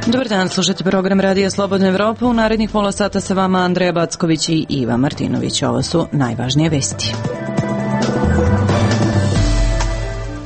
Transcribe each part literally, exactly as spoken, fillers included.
Dobar dan, slušajte program Radija Slobodna Evropa. U narednih pola sata sa vama Andreja Backović i Iva Martinović. Ovo su najvažnije vesti.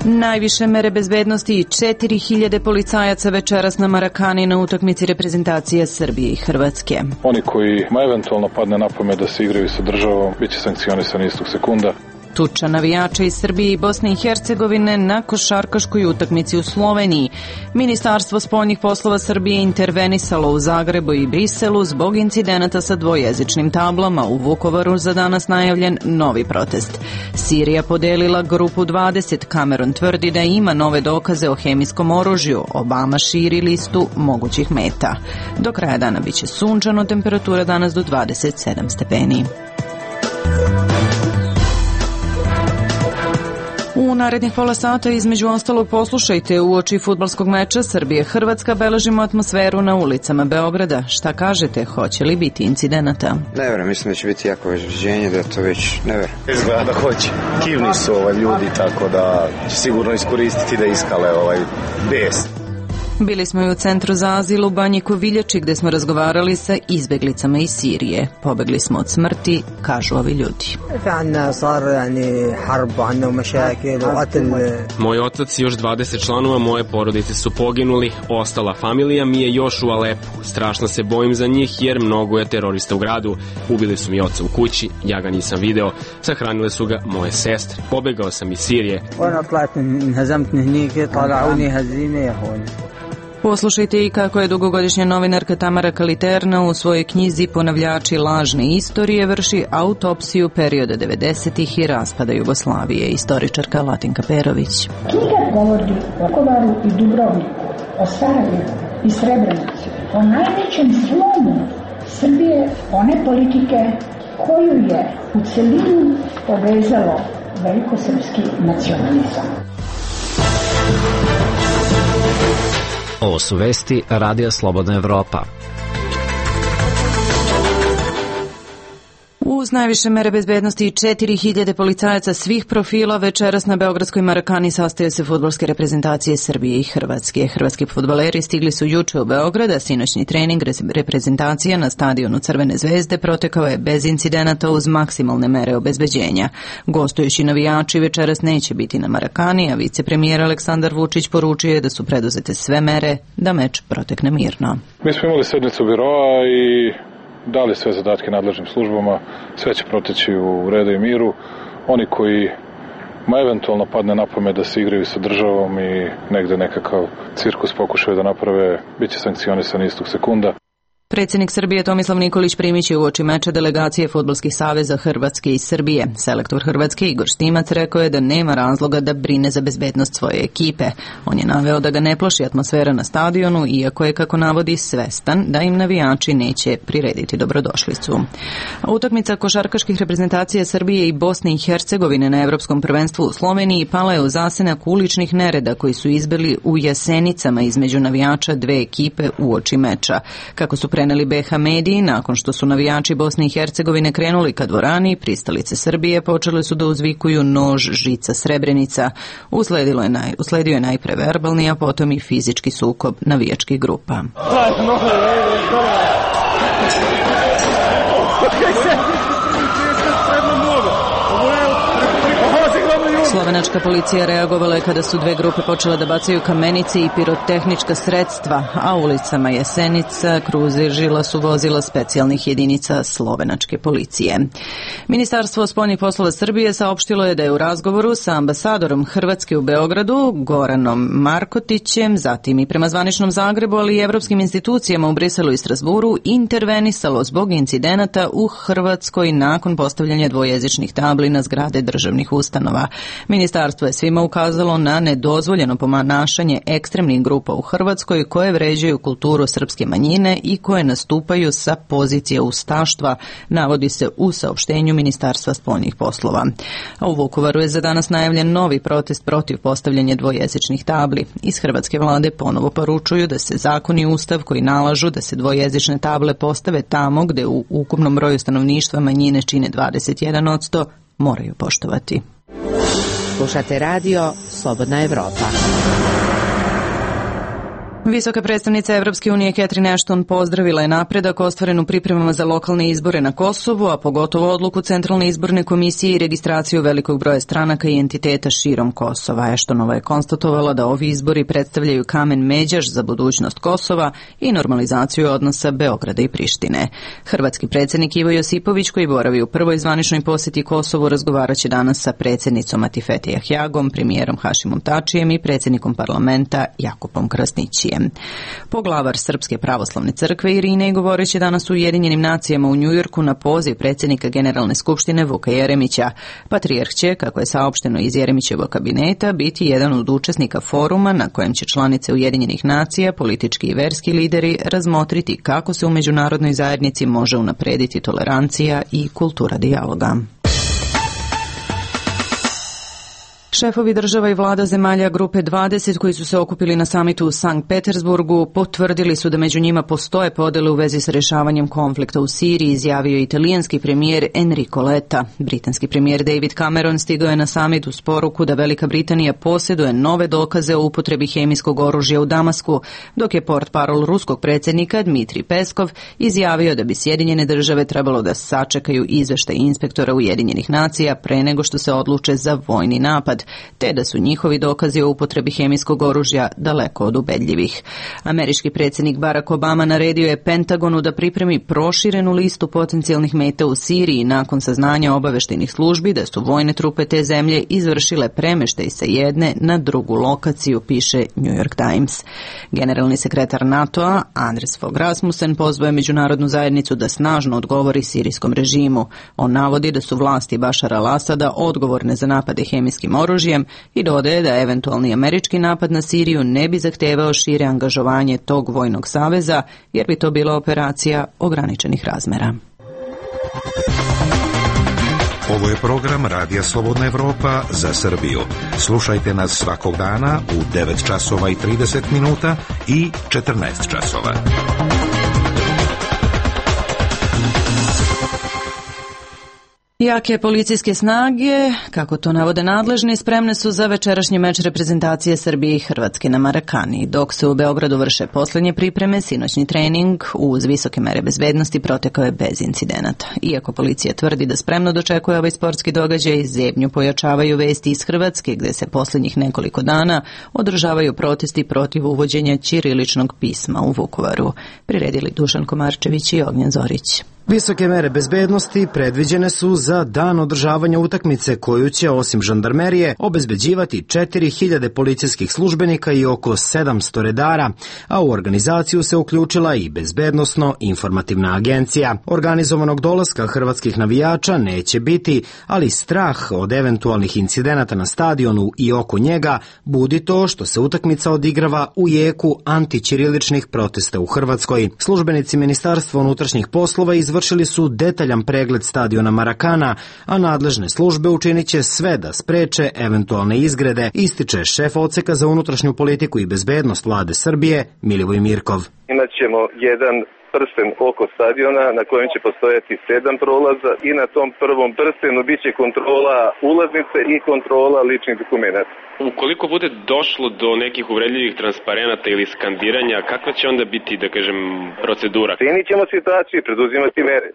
Najviše mere bezbednosti i četiri hiljade policajaca večeras na Marakani na utakmici reprezentacije Srbije i Hrvatske. Oni koji ma eventualno padne na pamet da se igraju sa državom, bit će sankcionisani istog sekunda. Tuča navijača iz Srbije i Bosne i Hercegovine na košarkaškoj utakmici u Sloveniji. Ministarstvo spoljnih poslova Srbije intervenisalo u Zagrebu i Briselu zbog incidenata sa dvojezičnim tablama. U Vukovaru za danas najavljen novi protest. Sirija podelila grupu dvadeset. Cameron tvrdi da ima nove dokaze o hemijskom oružju. Obama širi listu mogućih meta. Do kraja dana biće sunčano, temperatura danas do dvadeset sedam stepeni. U narednih pola sata između ostalog poslušajte uoči fudbalskog meča Srbije-Hrvatska beležimo atmosferu na ulicama Beograda. Šta kažete, hoće li biti incidenata? Ne vjerujem, mislim da će biti jako vežđenje, da to već ne vjerujem. Izgleda da hoće. Kivni su ovaj ljudi, tako da će sigurno iskoristiti da iskale ovaj bes. Bili smo i u centru za azil u Banji Koviljači gde smo razgovarali sa izbeglicama iz Sirije. Pobegli smo od smrti, kažu ovi ljudi. Moj otac i još dvadeset članova moje porodice su poginuli, ostala familija mi je još u Alepu. Strašno se bojim za njih jer mnogo je terorista u gradu. Ubili su mi oca u kući, ja ga nisam video, sahranile su ga moje sestre. Pobegao sam iz Sirije. Poslušajte i kako je dugogodišnja novinarka Tamara Kaliterna u svojoj knjizi Ponavljači lažne istorije vrši autopsiju perioda devedesetih i raspada Jugoslavije. Istoričarka Latinka Perović. Knjiga govori o Vukovaru i Dubrovniku, o Sarajevu i Srebrenici, o najvećem slomu Srbije, one politike koju je u celini povezalo velikosrpski nacionalizam. Ovo su vesti Radija Slobodna Evropa. Uz najviše mere bezbednosti i četiri hiljade policajaca svih profila večeras na beogradskoj Marakani sastaju se fudbalske reprezentacije Srbije i Hrvatske. Hrvatski fudbaleri stigli su juče u Beograd, a sinoćni trening reprezentacija na stadionu Crvene zvezde protekao je bez incidenata uz maksimalne mere obezbeđenja. Gostujući navijači večeras neće biti na Marakani, a vicepremijer Aleksandar Vučić poručio je da su preduzete sve mere da meč protekne mirno. Mi smo imali sednicu biroa i dali sve zadatke nadležnim službama, sve će proteći u redu i miru. Oni koji ma eventualno padne na pamet da se igraju sa državom i negde nekakav cirkus pokušaju da naprave, bit će sankcionisani istog sekunda. Predsjednik Srbije Tomislav Nikolić primit će uoči meča delegacije fudbalskih saveza Hrvatske i Srbije. Selektor Hrvatske Igor Stimac rekao je da nema razloga da brine za bezbednost svoje ekipe. On je naveo da ga ne plaši atmosfera na stadionu, iako je, kako navodi, svestan da im navijači neće prirediti dobrodošlicu. Utakmica košarkaških reprezentacija Srbije i Bosne i Hercegovine na Evropskom prvenstvu u Sloveniji pala je u zasenak uličnih nereda koji su izbili u Jasenicama između navijača dve ekipe uoči meča. Kako su preneli B H mediji, nakon što su navijači Bosne i Hercegovine krenuli ka dvorani, pristalice Srbije počele su da uzvikuju nož, žica, Srebrenica. Usledilo je naj, usledio je najpre verbalni, a potom i fizički sukob navijačkih grupa. Slovenačka policija reagovala je kada su dve grupe počele da bacaju kamenice i pirotehnička sredstva, a ulicama Jesenica kružila su vozila specijalnih jedinica slovenačke policije. Ministarstvo spoljnih poslova Srbije saopštilo je da je u razgovoru sa ambasadorom Hrvatske u Beogradu, Goranom Markotićem, zatim i prema zvaničnom Zagrebu, ali i evropskim institucijama u Briselu i Strasburu, intervenisalo zbog incidenata u Hrvatskoj nakon postavljanja dvojezičnih tabli na zgrade državnih ustanova. Ministarstvo je svima ukazalo na nedozvoljeno ponašanje ekstremnih grupa u Hrvatskoj koje vređaju kulturu srpske manjine i koje nastupaju sa pozicije ustaštva, navodi se u saopštenju Ministarstva spoljnih poslova. A u Vukovaru je za danas najavljen novi protest protiv postavljanja dvojezičnih tabli. Iz hrvatske vlade ponovo poručuju da se zakon i ustav koji nalažu da se dvojezične table postave tamo gde u ukupnom broju stanovništva manjine čine dvadeset jedan posto moraju poštovati. Slušate radio Slobodna Evropa. Visoka predstavnica Evropske unije Catherine Ashton pozdravila je napredak ostvaren u pripremama za lokalne izbore na Kosovu, a pogotovo odluku Centralne izborne komisije i registraciju velikog broja stranaka i entiteta širom Kosova. Ashtonova je konstatovala da ovi izbori predstavljaju kamen međaš za budućnost Kosova i normalizaciju odnosa Beograda i Prištine. Hrvatski predsjednik Ivo Josipović, koji boravi u prvoj zvaničnoj posjeti Kosovu, razgovaraće danas sa predsjednicom Atifete Jahjagom, premijerom Hašimom Tačijem i predsjednikom parlamenta Jakupom Krasnićijem. Poglavar Srpske pravoslavne crkve Irinej govoreći danas u Ujedinjenim nacijama u Njujorku na poziv predsjednika Generalne skupštine Vuka Jeremića. Patrijarh će, kako je saopšteno iz Jeremićevog kabineta, biti jedan od učesnika foruma na kojem će članice Ujedinjenih nacija, politički i verski lideri razmotriti kako se u međunarodnoj zajednici može unaprediti tolerancija i kultura dijaloga. Šefovi država i vlada zemalja Grupe dvadeset koji su se okupili na samitu u Sankt Petersburgu potvrdili su da među njima postoje podele u vezi sa rješavanjem konflikta u Siriji, izjavio je italijanski premijer Enrico Letta. Britanski premijer David Cameron stigao je na samit uz poruku da Velika Britanija posjeduje nove dokaze o upotrebi hemijskog oružja u Damasku, dok je portparol ruskog predsjednika Dmitrij Peskov izjavio da bi Sjedinjene države trebalo da sačekaju izveštaj inspektora Ujedinjenih nacija pre nego što se odluče za vojni napad, te da su njihovi dokazi o upotrebi hemijskog oružja daleko od ubedljivih. Američki predsjednik Barack Obama naredio je Pentagonu da pripremi proširenu listu potencijalnih meta u Siriji nakon saznanja obaveštajnih službi da su vojne trupe te zemlje izvršile premještaj sa jedne na drugu lokaciju, piše New York Times. Generalni sekretar NATO-a Anders Fogh Rasmussen pozvao je međunarodnu zajednicu da snažno odgovori sirijskom režimu. On navodi da su vlasti Bašara al-Asada odgovorne za napade hemijskim oružjem i dodaje da eventualni američki napad na Siriju ne bi zahtevao šire angažovanje tog vojnog saveza, jer bi to bila operacija ograničenih razmera. Ovo je program Radija Slobodna Evropa za Srbiju. Slušajte nas svakog dana u devet časova i trideset minuta i četrnaest časova. Jake policijske snage, kako to navode nadležni, spremne su za večerašnji meč reprezentacije Srbije i Hrvatske na Marakani. Dok se u Beogradu vrše posljednje pripreme, sinoćni trening uz visoke mere bezbednosti protekao je bez incidenata. Iako policija tvrdi da spremno dočekuje ovaj sportski događaj, zebnju pojačavaju vesti iz Hrvatske, gde se posljednjih nekoliko dana održavaju protesti protiv uvođenja ćiriličnog pisma u Vukovaru. Priredili Dušan Komarčević i Ognjen Zorić. Visoke mere bezbednosti predviđene su za dan održavanja utakmice koju će osim žandarmerije obezbeđivati četiri hiljade policijskih službenika i oko sedamsto redara, a u organizaciju se uključila i bezbednosno-informativna agencija. Organizovanog dolaska hrvatskih navijača neće biti, ali strah od eventualnih incidenata na stadionu i oko njega budi to što se utakmica odigrava u jeku antićiriličnih protesta u Hrvatskoj. Službenici Ministarstva unutrašnjih poslova izvršili Vršili su detaljan pregled stadiona Marakana, a nadležne službe učinit će sve da spreče eventualne izgrede, ističe šef odseka za unutrašnju politiku i bezbednost vlade Srbije Milivoj Mirkov. Imaćemo jedan prsten oko stadiona na kojem će postojati sedam prolaza i na tom prvom prstenu bit će kontrola ulaznice i kontrola ličnih dokumenata. Ukoliko bude došlo do nekih uvredljivih transparenata ili skandiranja, kakva će onda biti, da kažem, procedura? Cenit ćemo situaciju i preduzimati mere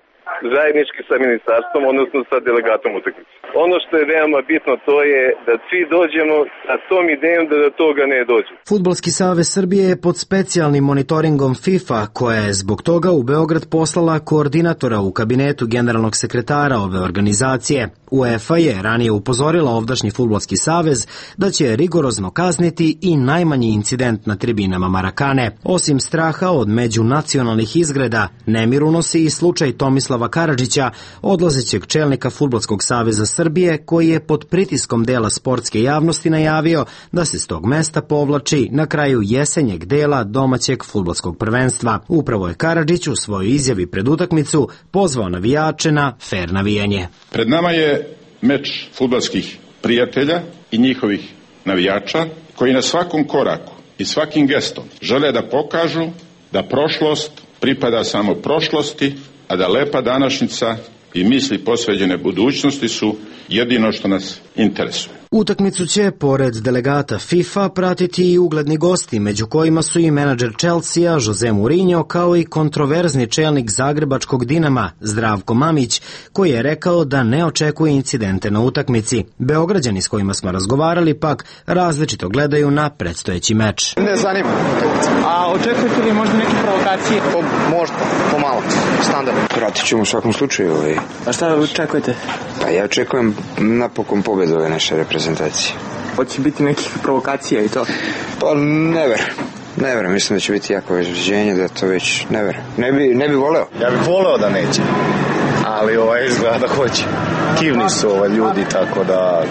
zajednički sa ministarstvom, odnosno sa delegatom utakmice. Ono što je veoma bitno to je da svi dođemo sa tom idejom da do toga ne dođe. Fudbalski savez Srbije je pod specijalnim monitoringom FIFA, koja je zbog toga u Beograd poslala koordinatora u kabinetu generalnog sekretara ove organizacije. UEFA je ranije upozorila ovdašnji fudbalski savez da će rigorozno kazniti i najmanji incident na tribinama Marakane. Osim straha od međunacionalnih izgreda, nemir unosi i slučaj Tomislava Karadžića, odlazećeg čelnika Fudbalskog saveza Srbije, koji je pod pritiskom dela sportske javnosti najavio da se s tog mesta povlači na kraju jesenjeg dela domaćeg fudbalskog prvenstva. Upravo je Karadžić u svojoj izjavi pred utakmicu pozvao navijače na fer navijanje. Pred nama je meč fudbalskih prijatelja i njihovih navijača koji na svakom koraku i svakim gestom žele da pokažu da prošlost pripada samo prošlosti, a da lepa današnjica i misli posveđene budućnosti su jedino što nas interesuje. Utakmicu će, pored delegata FIFA, pratiti i ugledni gosti, među kojima su i menadžer Chelsea Jose Mourinho, kao i kontroverzni čelnik zagrebačkog Dinama Zdravko Mamić, koji je rekao da ne očekuje incidente na utakmici. Beograđani s kojima smo razgovarali pak različito gledaju na predstojeći meč. Ne zanima. A očekujete li možda neke provokacije? Po, možda, pomalo, standardno. Pratit ćemo u svakom slučaju. Ovaj. A šta očekujete? Pa ja očekujem napokon pobedu ove naše reprezentacije. Hoće biti nekih provokacija i to? Pa ne verujem. Ne verujem, mislim da će biti jako izraženje, da to već ne verujem. Ne bi, ne bi voleo. Ja bih voleo da neće, ali ovaj izgleda da hoće. Kivni su ovaj ljudi, tako da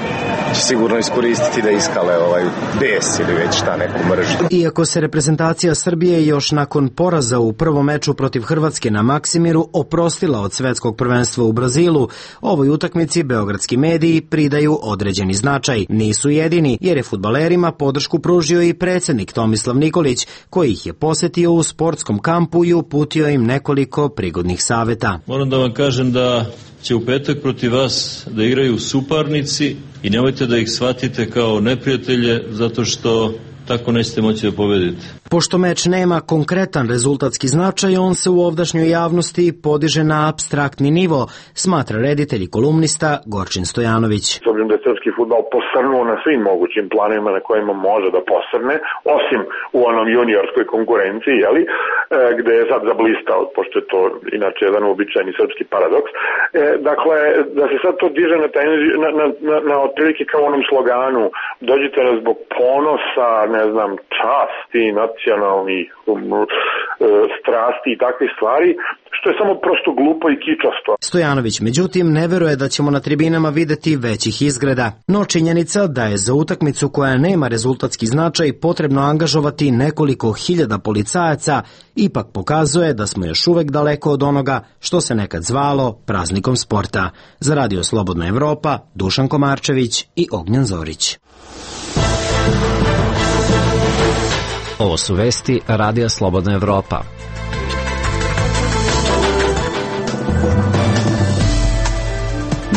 će sigurno iskoristiti da iskale ovaj bes ili već šta, neku mržnju. Iako se reprezentacija Srbije još nakon poraza u prvom meču protiv Hrvatske na Maksimiru oprostila od svetskog prvenstva u Brazilu, ovoj utakmici beogradski mediji pridaju određeni značaj. Nisu jedini, jer je fudbalerima podršku pružio i predsjednik Tomislav Nikolić, koji ih je posetio u sportskom kampu i uputio im nekoliko prigodnih saveta. Moram da vam kažem da će u petak protiv vas da igraju suparnici i nemojte da ih shvatite kao neprijatelje, zato što tako nećete moći da pobedite. Pošto meč nema konkretan rezultatski značaj, on se u ovdašnjoj javnosti podiže na apstraktni nivo, smatra reditelj i kolumnista Gorčin Stojanović. S obzirom da je srpski fudbal posrnuo na svim mogućim planovima na kojima može da posrne, osim u onom juniorskoj konkurenciji, jeli, gde je sad zablistao, pošto je to inače jedan uobičajeni srpski paradoks. E, dakle, da se sad to diže na, taj, na, na, na, na otprilike kao onom sloganu, dođite nas zbog ponosa, ne znam, časti, nacionalnih um, strasti i takve stvari, što je samo prosto glupo i kičasto. Stojanović, međutim, ne veruje da ćemo na tribinama videti većih izgreda. No činjenica da je za utakmicu koja nema rezultatski značaj potrebno angažovati nekoliko hiljada policajaca ipak pokazuje da smo još uvek daleko od onoga što se nekad zvalo praznikom sporta. Za Radio Slobodna Evropa, Dušan Komarčević i Ognjan Zorić. Ovo su vesti Radija Slobodna Evropa.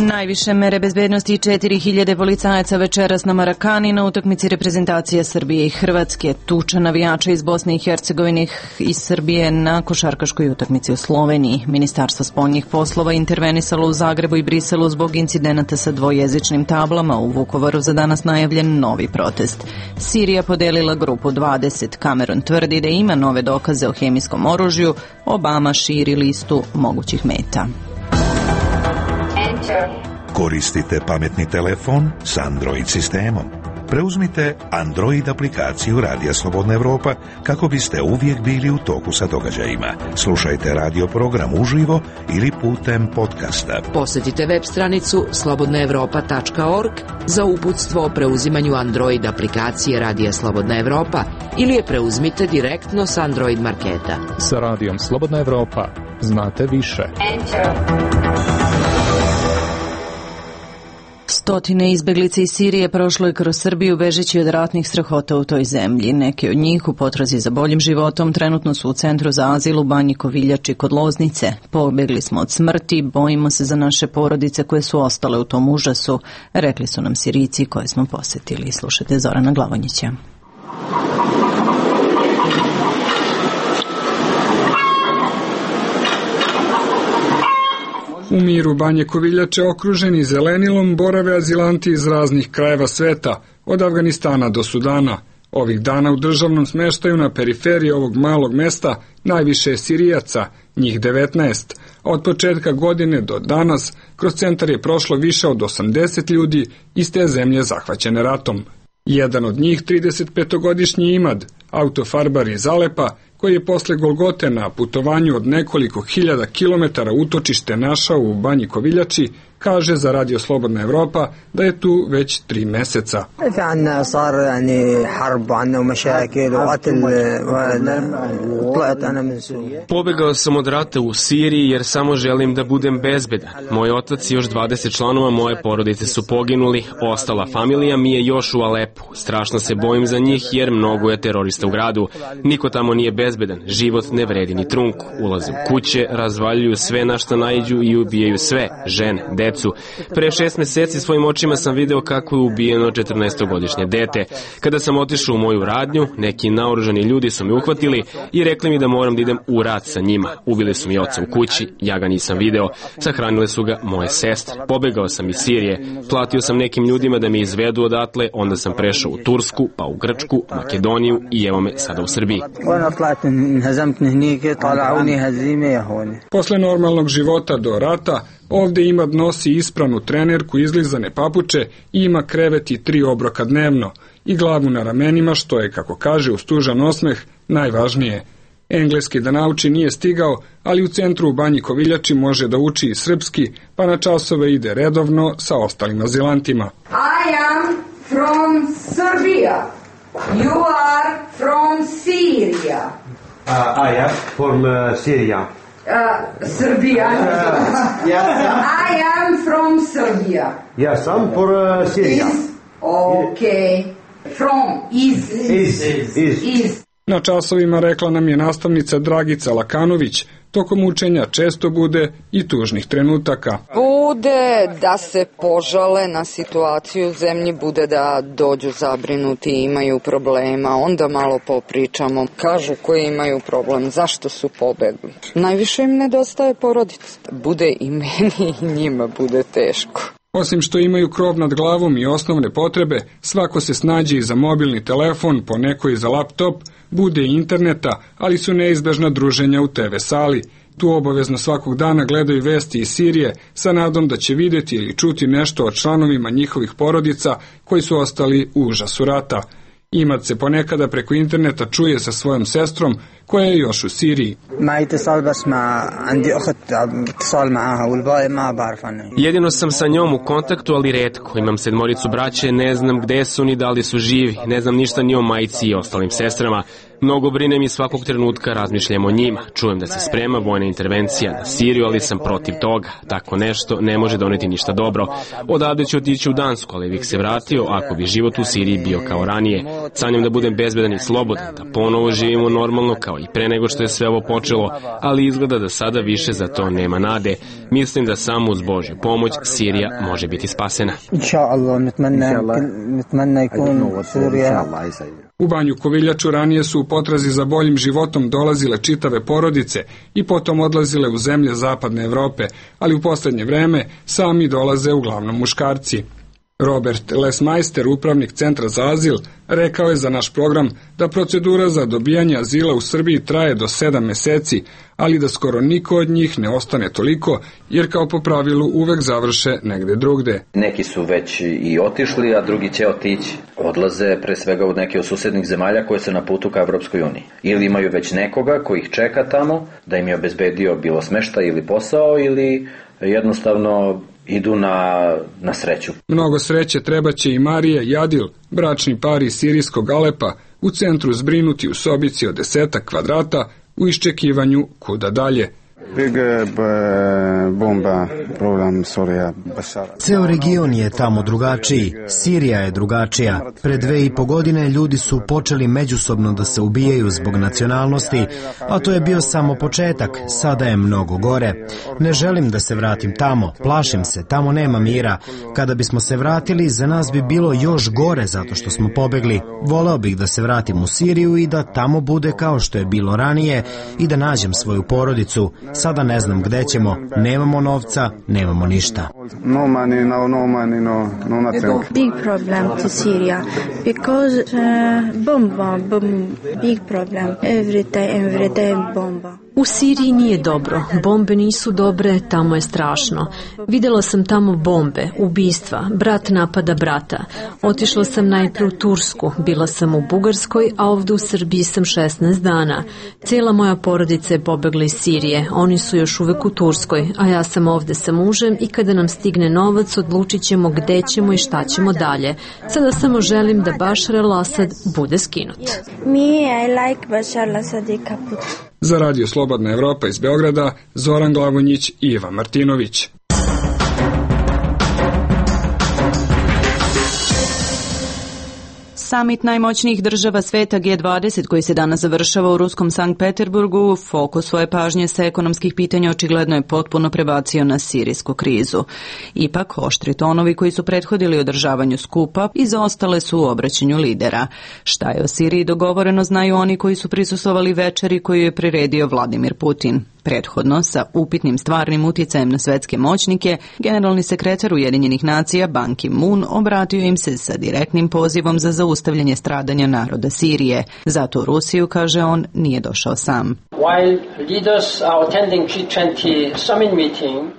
Najviše mere bezbednosti i četiri hiljade policajaca večeras na Marakani na utakmici reprezentacije Srbije i Hrvatske. Tuča navijača iz Bosne i Hercegovine i Srbije na košarkaškoj utakmici u Sloveniji. Ministarstvo spoljnih poslova intervenisalo u Zagrebu i Briselu zbog incidenata sa dvojezičnim tablama. U Vukovaru za danas najavljen novi protest. Sirija podelila grupu dvadeset. Cameron tvrdi da ima nove dokaze o hemijskom oružju. Obama širi listu mogućih meta. Koristite pametni telefon s Android sistemom. Preuzmite Android aplikaciju Radija Slobodna Evropa kako biste uvijek bili u toku sa događajima. Slušajte radio program uživo ili putem podcasta. Posjetite web stranicu slobodna evropa tačka org za uputstvo o preuzimanju Android aplikacije Radija Slobodna Evropa ili je preuzmite direktno s Android marketa. Sa Radijom Slobodna Evropa znate više. Stotine izbeglica iz Sirije prošlo je kroz Srbiju bežeći od ratnih strahota u toj zemlji. Neki od njih u potrazi za boljim životom trenutno su u centru za azil u Banji Koviljači kod Loznice. Pobegli smo od smrti, bojimo se za naše porodice koje su ostale u tom užasu, rekli su nam Sirijci koje smo posetili. Slušajte Zorana Glavonjića. U miru Banje Koviljače, okruženi zelenilom, borave azilanti iz raznih krajeva sveta, od Afganistana do Sudana. Ovih dana u državnom smeštaju na periferiji ovog malog mesta najviše je Sirijaca, njih devetnaest. Od početka godine do danas kroz centar je prošlo više od osamdeset ljudi iz te zemlje zahvaćene ratom. Jedan od njih, tridesetpetogodišnji Imad, autofarbar iz Alepa, koji je posle Golgote na putovanju od nekoliko hiljada kilometara utočište našao u Banji Koviljači, kaže za Radio Slobodna Evropa da je tu već tri meseca. Pobegao sam od rata u Siriji jer samo želim da budem bezbedan. Moj otac i još dvadeset članova moje porodice su poginuli, ostala familija mi je još u Alepu. Strašno se bojim za njih jer mnogo je terorista terorista u gradu. Niko tamo nije bezbedan, život ne vredi ni trunku. Ulaze u kuće, razvaljuju sve na što naiđu i ubijaju sve, žene, decu. Pre šest meseci svojim očima sam video kako je ubijeno četrnaestogodišnje dete. Kada sam otišao u moju radnju, neki naoružani ljudi su me uhvatili i rekli mi da moram da idem u rat sa njima. Ubili su mi oca u kući, ja ga nisam video, sahranile su ga moje sestre. Pobegao sam iz Sirije, platio sam nekim ljudima da me izvedu odatle, onda sam prešao u Tursku, pa u Grčku, Makedoniju i evo me sada u Srbiji. Posle normalnog života do rata, ovde Imad nosi ispranu trenerku, izlizane papuče i ima krevet i tri obroka dnevno i glavu na ramenima, što je, kako kaže uz tužan osmeh, najvažnije. Engleski da nauči nije stigao, ali u centru u Banji Koviljači može da uči i srpski, pa na časove ide redovno sa ostalim azilantima. I am from Serbia. You are from Syria. Uh, I am from uh, Syria. Uh, Serbia. Uh, yes. I am from Serbia. Yes, I'm for uh, Syria. Is okay. From is is is. is. is. Na časovima, rekla nam je nastavnica Dragica Lakanović, tokom učenja često bude i tužnih trenutaka. Bude da se požale na situaciju u zemlji, bude da dođu zabrinuti i imaju problema, onda malo popričamo, kažu koji imaju problem, zašto su pobegli. Najviše im nedostaje porodica. Bude i meni i njima bude teško. Osim što imaju krov nad glavom i osnovne potrebe, svako se snađe i za mobilni telefon, po neko i za laptop, bude i interneta, ali su neizbežna druženja u te ve sali. Tu obavezno svakog dana gledaju vesti iz Sirije sa nadom da će vidjeti ili čuti nešto o članovima njihovih porodica koji su ostali u užasu rata. Imad se ponekada preko interneta čuje sa svojom sestrom koja je još u Siriji. Jedino sam sa njom u kontaktu, ali retko. Imam sedmoricu braće, ne znam gde su ni da li su živi, ne znam ništa ni o majci i ostalim sestrama. Mnogo brinem i svakog trenutka razmišljam o njima. Čujem da se sprema vojna intervencija na Siriju, ali sam protiv toga. Tako nešto ne može doneti ništa dobro. Odavde ću otići u Dansku, ali bih se vratio ako bi život u Siriji bio kao ranije. Sanjam da budem bezbedan i slobodan, da ponovo živimo normalno kao i pre nego što je sve ovo počelo, ali izgleda da sada više za to nema nade. Mislim da samo uz Božju pomoć Sirija može biti spasena. U Banju Koviljaču ranije su u potrazi za boljim životom dolazile čitave porodice i potom odlazile u zemlje zapadne Evrope, ali u posljednje vreme sami dolaze uglavnom muškarci. Robert Lesmeister, upravnik Centra za azil, rekao je za naš program da procedura za dobijanje azila u Srbiji traje do sedam meseci, ali da skoro niko od njih ne ostane toliko, jer kao po pravilu uvek završe negde drugde. Neki su već i otišli, a drugi će otići. Odlaze pre svega u neke od susednih zemalja koje su na putu ka Evropskoj uniji. Ili imaju već nekoga koji ih čeka tamo, da im je obezbedio bilo smeštaj ili posao, ili jednostavno idu na, na sreću. Mnogo sreće trebaće i Marije Jadil, bračni par iz sirijskog Alepa, u centru zbrinuti u sobici od desetak kvadrata u iščekivanju kuda dalje. Ceo region je tamo drugačiji, Sirija je drugačija. Pre dve i po godine ljudi su počeli međusobno da se ubijaju zbog nacionalnosti, a to je bio samo početak, sada je mnogo gore. Ne želim da se vratim tamo, plašim se, tamo nema mira. Kada bismo se vratili, za nas bi bilo još gore zato što smo pobegli. Voleo bih da se vratim u Siriju i da tamo bude kao što je bilo ranije i da nađem svoju porodicu. Sada ne znam gde ćemo, nemamo novca, nemamo ništa. No money, no, no money, no, no nothing. Big problem to Syria because uh, bomba, bomb, big problem. Every day, every day bomba. U Siriji nije dobro, bombe nisu dobre, tamo je strašno. Vidjela sam tamo bombe, ubistva, brat napada brata. Otišla sam najpre u Tursku, bila sam u Bugarskoj, a ovdje u Srbiji sam šesnaest dana. Cijela moja porodica je pobegla iz Sirije, oni su još uvek u Turskoj, a ja sam ovdje sa mužem i kada nam stigne novac odlučit ćemo gde ćemo i šta ćemo dalje. Sada samo želim da Bašar al-Asad bude skinut. Me, I like Bašar al-Asad i kaput. Za Radio Slobodna Evropa iz Beograda, Zoran Glavonjić i Iva Martinović. Samit najmoćnijih država sveta G dvadeset koji se danas završava u ruskom Sankt Peterburgu, fokus svoje pažnje sa ekonomskih pitanja očigledno je potpuno prebacio na sirijsku krizu. Ipak, oštri tonovi koji su prethodili održavanju skupa izostale su u obraćanju lidera. Šta je o Siriji dogovoreno znaju oni koji su prisustvovali večeri koju je priredio Vladimir Putin. Prethodno, sa upitnim stvarnim utjecajem na svetske moćnike, generalni sekretar Ujedinjenih nacija Ban Ki-moon obratio im se sa direktnim pozivom za zaustavljanje stradanja naroda Sirije. Zato u Rusiju, kaže on, nije došao sam.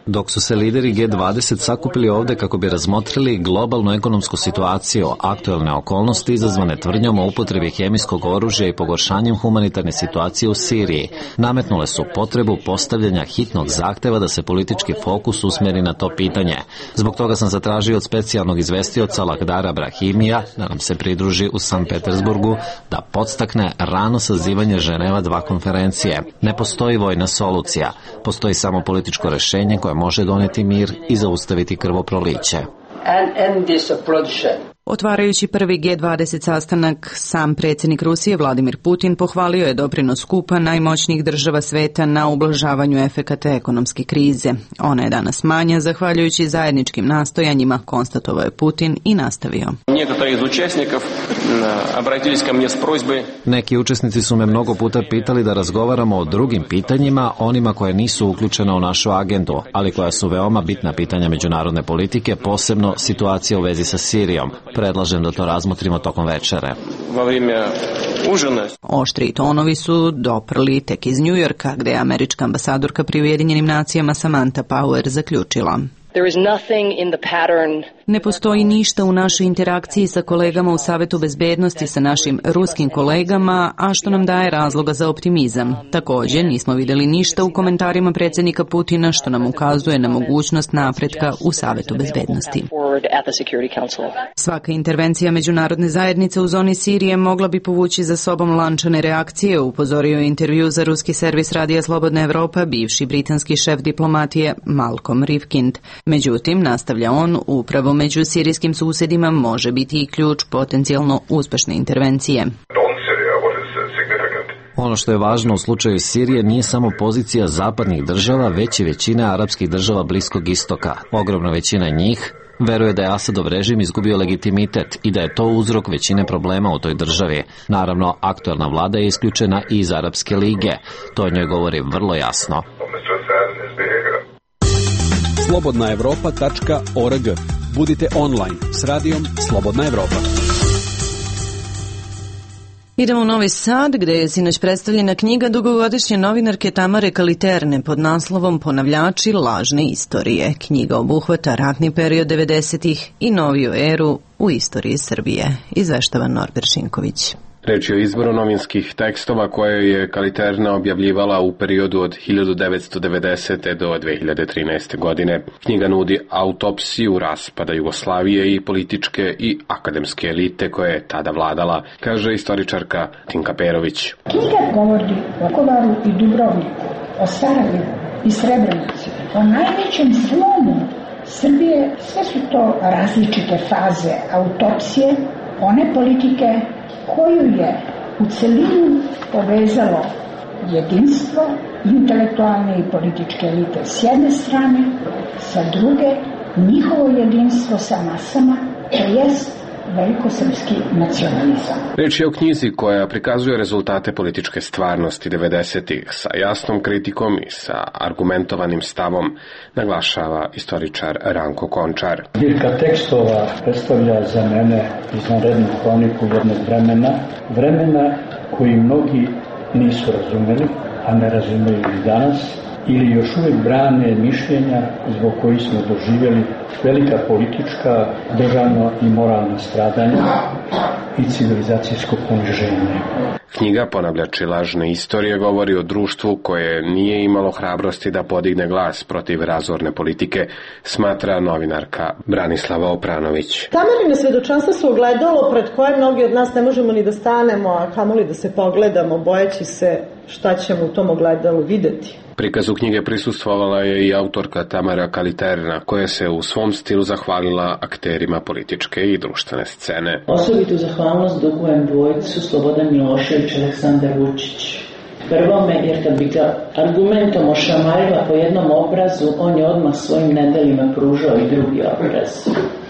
Dok su se lideri G dvadeset sakupili ovde kako bi razmotrili globalnu ekonomsku situaciju, aktuelne okolnosti izazvane tvrdnjom o upotrebi hemijskog oružja i pogoršanjem humanitarne situacije u Siriji, nametnule su potrebu postavljanja hitnog zahteva da se politički fokus usmeri na to pitanje. Zbog toga sam zatražio od specijalnog izvestioca Lakhdara Brahimija da nam se pridruži u Sankt Petersburgu da podstakne rano sazivanje Ženeva dva konferencije. Ne postoji vojna solucija, postoji samo političko rešenje koje može doneti mir i zaustaviti krvoproliće. Otvarajući prvi G dvadeset sastanak, sam predsjednik Rusije Vladimir Putin pohvalio je doprinos skupa najmoćnijih država sveta na ublažavanju efekata ekonomske krize. Ona je danas manja, zahvaljujući zajedničkim nastojanjima, konstatovao je Putin i nastavio. Neki učesnici su me mnogo puta pitali da razgovaramo o drugim pitanjima, onima koje nisu uključena u našu agendu, ali koja su veoma bitna pitanja međunarodne politike, posebno situacija u vezi sa Sirijom. Predlažem da to razmotrimo tokom večere. Oštri tonovi su doprli tek iz Njujorka, gde je američka ambasadorka pri Ujedinjenim nacijama Samantha Power zaključila. Ne postoji ništa u našoj interakciji sa kolegama u Savetu bezbednosti, sa našim ruskim kolegama, a što nam daje razloga za optimizam. Također, nismo vidjeli ništa u komentarima predsjednika Putina, što nam ukazuje na mogućnost napretka u Savetu bezbednosti. Svaka intervencija međunarodne zajednice u zoni Sirije mogla bi povući za sobom lančane reakcije, upozorio je intervju za ruski servis Radija Slobodna Evropa bivši britanski šef diplomatije Malcolm Rifkind. Međutim, nastavlja on, upravo među sirijskim susjedima može biti i ključ potencijalno uspešne intervencije. Ono što je važno u slučaju Sirije nije samo pozicija zapadnih država, već i većina arapskih država Bliskog istoka. Ogromna većina njih veruje da je Asadov režim izgubio legitimitet i da je to uzrok većine problema u toj državi. Naravno, aktuelna vlada je isključena i iz Arapske lige. To o njoj govori vrlo jasno. slobodna evropa tačka org. Budite online s radijom Slobodna Evropa. Idemo u Novi Sad, gde je sinoć predstavljena knjiga dugogodišnje novinarke Tamare Kaliterne pod naslovom Ponavljači lažne istorije. Knjiga obuhvata ratni period devedesetih i noviju eru u istoriji Srbije. Izveštava Norbert Šinković. Reč je o izboru novinskih tekstova koje je Kaliterna objavljivala u periodu od hiljadu devetsto devedesete. do dve hiljade trinaeste. godine. Knjiga nudi autopsiju raspada Jugoslavije i političke i akademske elite koje je tada vladala, kaže istoričarka Tinka Perović. Knjiga govori o Kovaru i Dubrovniku, o Sarajevu i Srebrenici, o najvećem slomu Srbije. Sve su to različite faze autopsije, one politike koju je u celinu povezalo jedinstvo intelektualne i političke elite s jedne strane, sa druge njihovo jedinstvo sa masama, to jest velikosrpski nacionalizam. Reč je o knjizi koja prikazuje rezultate političke stvarnosti devedesetih sa jasnom kritikom i sa argumentovanim stavom, naglašava istoričar Ranko Končar. Zbirka tekstova predstavlja za mene izvanrednu hroniku jednog vremena, vremena koji mnogi nisu razumeli, a ne razumeju i danas, ili još uvijek brane mišljenja zbog kojih smo doživjeli velika politička, državna i moralna stradanja i civilizacijsko poniženje. Knjiga Ponavljači lažne istorije govori o društvu koje nije imalo hrabrosti da podigne glas protiv razorne politike, smatra novinarka Branislava Opranović. Tamarine svedočanstva su ogledalo pred koje mnogi od nas ne možemo ni da stanemo, a kamoli da se pogledamo, bojeći se šta ćemo u tom ogledalu videti. Prikazu knjige prisustvovala je i autorka Tamara Kaliterna, koja se u svom stilu zahvalila akterima političke i društvene scene. Osobitu zahvalnost dugujem dvojcu Slobodan Milošević i Aleksandar Vučić. Prvome, jer kad bi ga argumentom ošamarila po jednom obrazu, on je odmah svojim nedelima pružao i drugi obraz,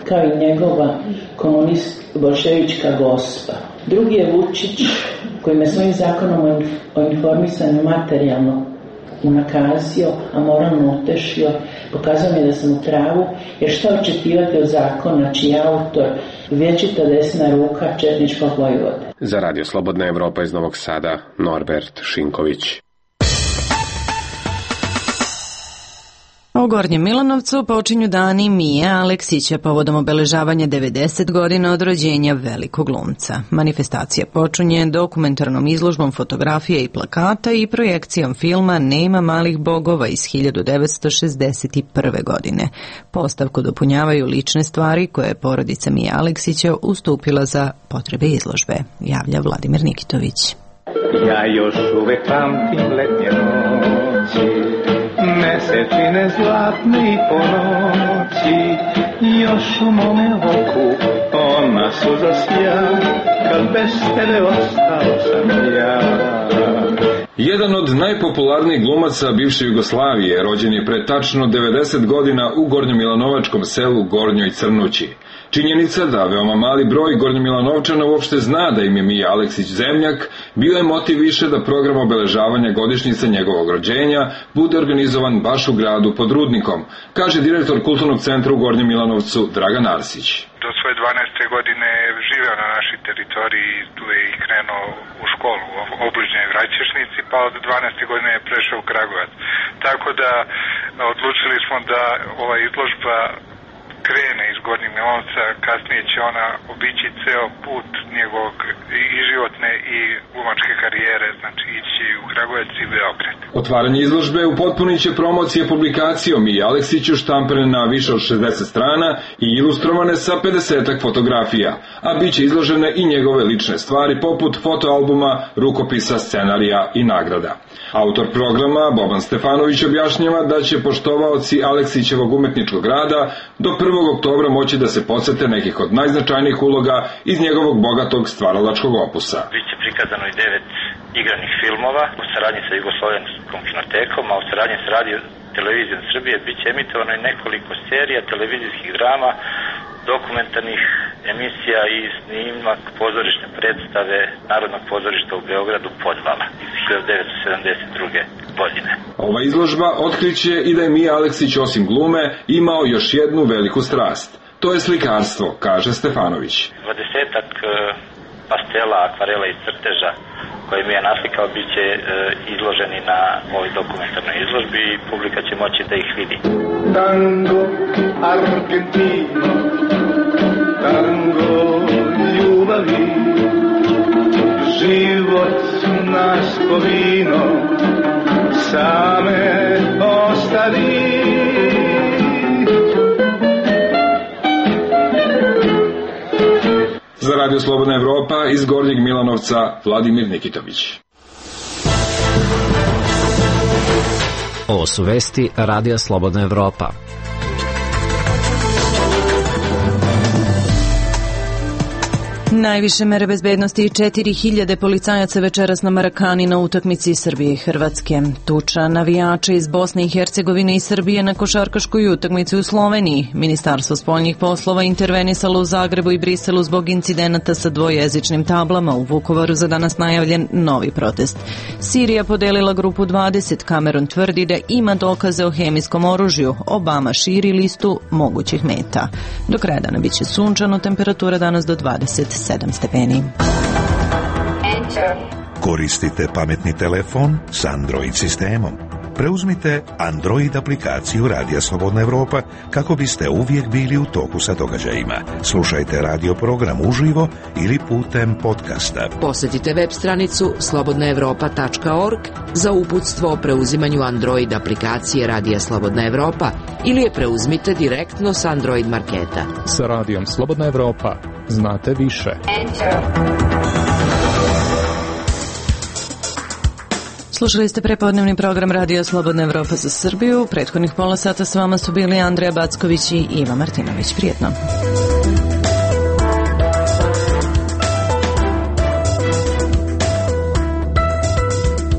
kao i njegova komunist bolševička gospa. Drugi je Vučić, koji me svojim zakonom o informisanju materijalno unakazio, a moralno utešio, pokazao mi da sam u pravu, jer šta očekivati od zakona čiji je autor vječita desna ruka četničkog vojvode. Za Radio Slobodna Evropa iz Novog Sada, Norbert Šinković. U Gornjem Milanovcu počinju dani Mije Aleksića povodom obeležavanja devedeset godina od rođenja velikog glumca. Manifestacija počinje dokumentarnom izložbom fotografija i plakata i projekcijom filma Nema malih bogova iz hiljadu devetsto šezdeset prve. godine. Postavku dopunjavaju lične stvari koje je porodica Mije Aleksića ustupila za potrebe izložbe, javlja Vladimir Nikitović. Ja još uvek pamtim letnje noći, mesečine zlatne i po noći, još u mome oku ona suza sja, kad bez tebe ostao sam ja. Jedan od najpopularnijih glumaca bivše Jugoslavije rođen je pre tačno devedeset godina u gornjomilanovačkom selu Gornjoj Crnući. Činjenica da veoma mali broj Gornjomilanovčana uopšte zna da im je Mija Aleksić zemljak, bio je motiv više da program obeležavanja godišnjice njegovog rođenja bude organizovan baš u gradu pod Rudnikom, kaže direktor Kulturnog centra u Gornjem Milanovcu Dragan Arsić. Do svoje dvanaeste godine je živeo na našoj teritoriji, tu je i krenuo u školu u obližnjoj Vraćešnici, pa od dvanaeste godine je prešao u Kragujevac. Tako da odlučili smo da ova izložba krene iz Gornjeg Milanovca, kasnije će ona obići ceo put njegovog i životne i glumačke karijere, znači ići u Kragujevac i Beograd. Otvaranje izložbe upotpunit će promocije publikacijom i Aleksiću štampane na više od šezdeset strana i ilustrovane sa pedesetak fotografija, a bit će izložene i njegove lične stvari poput fotoalbuma, rukopisa, scenarija i nagrada. Autor programa Boban Stefanović objašnjava da će poštovaoci Aleksićevog umetničkog rada do prvog oktobra moći da se podsete nekih od najznačajnijih uloga iz njegovog bogatog stvaralačkog opusa. Biće prikazano i devet igranih filmova u saradnji sa Jugoslovenskom kinotekom, a u saradnji sa Radio Televizijom Srbije biće emitovano i nekoliko serija, televizijskih drama, dokumentarnih emisija i snimak pozorišne predstave Narodnog pozorišta u Beogradu Podvala iz hiljadu devetsto sedamdeset druge. godine. Ova izložba otkriće i da je Mija Aleksić osim glume imao još jednu veliku strast. To je slikarstvo, kaže Stefanović. Dvadesetak pastela, akvarela i crteža koje mi je naslikao bit će izloženi na ovoj dokumentarnoj izložbi i publika će moći da ih vidi. Tango, Argentino, tango ljubavi, život naš povino, same ostavi. Za Radio Slobodna Evropa iz Gornjeg Milanovca Vladimir Nikitović. Ovo su vesti Radija Slobodna Evropa. Najviše mere bezbednosti i četiri hiljade policajaca večeras na Marakani na utakmici Srbije i Hrvatske. Tuča navijača iz Bosne i Hercegovine i Srbije na košarkaškoj utakmici u Sloveniji. Ministarstvo spoljnih poslova intervenisalo u Zagrebu i Briselu zbog incidenata sa dvojezičnim tablama. U Vukovaru za danas najavljen novi protest. Sirija podelila grupu dvadeset. Kamerun tvrdi da ima dokaze o hemijskom oružju. Obama širi listu mogućih meta. Do kraja dana biće sunčano, temperatura danas do dvadeset sedam stepeni. Koristite pametni telefon s Android sistemom. Preuzmite Android aplikaciju Radija Slobodna Evropa kako biste uvijek bili u toku sa događajima. Slušajte radio program uživo ili putem podcasta. Posjetite web stranicu slobodna evropa tačka org za uputstvo o preuzimanju Android aplikacije Radija Slobodna Evropa ili je preuzmite direktno s Android marketa. Sa Radijom Slobodna Evropa znate više. Slušali ste prepodnevni program Radio Slobodna Evropa za Srbiju. Prethodnih pola sata s vama su bili Andreja Backović i Iva Martinović. Prijetno.